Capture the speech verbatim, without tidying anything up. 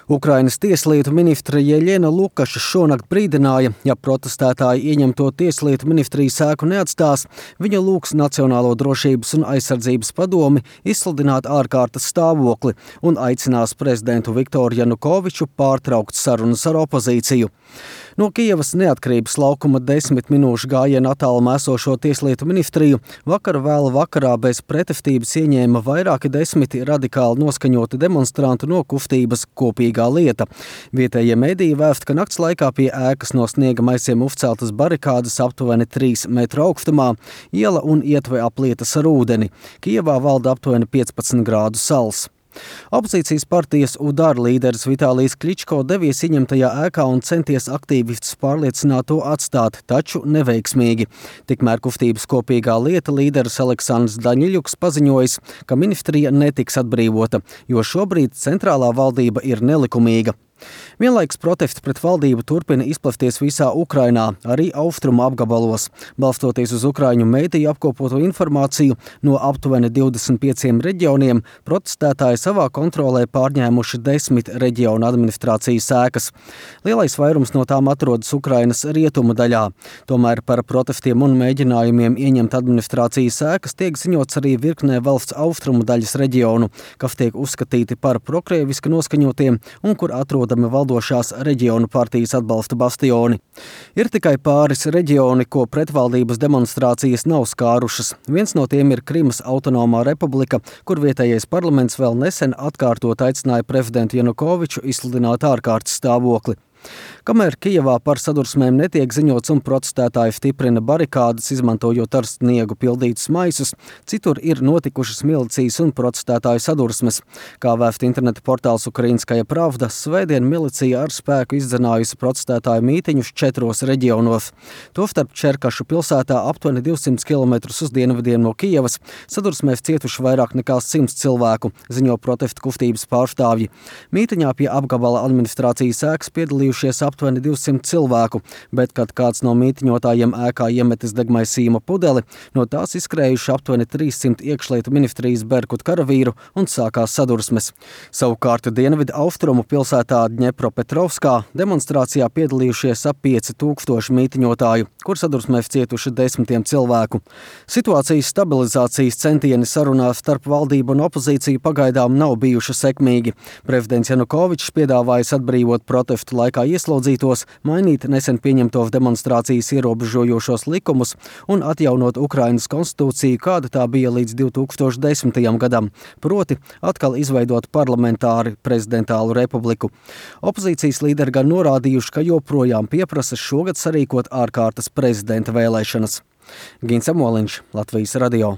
Ukrainas tieslietu ministre Jeļena Lukaša šonakt brīdināja, ja protestētāji ieņemto tieslietu ministrijas ēku neatstās, viņa lūgs Nacionālo drošības un aizsardzības padomi izsludināt ārkārtas stāvokli un aicinās prezidentu Viktoru Janukoviču pārtraukt sarunas ar opozīciju. No Kijevas neatkarības laukuma desmit minūšu gājiena attālumā esošo tieslietu ministriju vakar vēlu vakarā bez pretestības ieņēma vairāki desmiti radikāli noskaņoti demonstranti no kustības Kopīgā lieta. Vietējie mediji vēst, ka nakts laikā pie ēkas no sniega maisiem uzceltas barikādes aptuveni trīs metru augstumā, iela un ietve aplietas ar ūdeni. Kijevā valda aptuveni piecpadsmit grādu sals. Opozīcijas partijas Udar līderis Vitālijs Kličko devies ieņemtajā ēkā un centies aktīvistus pārliecināt to atstāt, taču neveiksmīgi. Tikmēr kustības Kopīgā lieta līderis Aleksandrs Daņiļuks paziņojis, ka ministrija netiks atbrīvota, jo šobrīd centrālā valdība ir nelikumīga. Vienlaikus protesti pret valdību turpina izplesties visā Ukrainā, arī austrumu apgabalos. Balstoties uz ukraiņu mediju apkopoto informāciju, no aptuveni divdesmit pieciem reģioniem protestētāji savā kontrolē pārņēmuši desmit reģionu administrācijas ēkas. Lielais vairums no tām atrodas Ukrainas rietumu daļā. Tomēr par protestiem un mēģinājumiem ieņemt administrācijas ēkas tiek ziņots arī virknē valsts austrumu daļas reģionu, kas tiek uzskatīti par prokrieviski noskaņotiem un kur atrodami valdošās reģionu partijas atbalsta bastioni. Ir tikai pāris reģioni, ko pretvaldības demonstrācijas nav skārušas. Viens no tiem ir Krimas autonomā republika, kur vietējais parlaments vēl nesen atkārtot aicināja prezidentu Janukoviču izsludināt ārkārtas stāvokli. Kamēr Kijevā par sadursmēm netiek ziņots un protestētāji stiprina barikādes, izmantojot ar sniegu pildītus maisus, citur ir notikušas milicijas un protestētāju sadursmes. Kā vēst interneta portāls Ukrainskaja Pravda, svētdien milicija ar spēku izdzenājusi protestētāju mītiņus četros reģionos. Tostarp Čerkašu pilsētā aptuveni divsimt kilometrus uz dienvidiem no Kijevas sadursmēs cietuši vairāk nekā simts cilvēku, ziņo protestu kustības pārstāvji. Mītiņā pie apgabala administrācijas ēkas piedalījušies aptuveni divsimt cilvēku, bet, kad kāds no mītiņotājiem ēkā iemetis degmaisījuma pudeli, no tās izskrējuši aptuveni trīssimt iekšlietu ministrijas berkut karavīru un sākās sadursmes. Savukārt dienvidu austrumu pilsētā Dņepropetrovskā demonstrācijā piedalījušies ap pieci tūkstoši mītiņotāju, kur sadursmēs cietuši desmitiem cilvēku. Situācijas stabilizācijas centieni sarunās starp valdību un opozīciju pagaidām nav bijuši sekmīgi. Prezidents Janukovičs piedāvājis atbrīvot protestu laikā ieslodzītos, mainīt nesen pieņemtos demonstrācijas ierobežojošos likumus un atjaunot Ukrainas konstitūciju, kāda tā bija līdz divi tūkstoši desmitajam gadam, proti atkal izveidot parlamentāri prezidentālu republiku. Opozīcijas līderi gan norādījuši, ka joprojām pieprasa šogad sarīkot ārkārtas prezidenta vēlēšanas. Gins Amoliņš, Latvijas radio.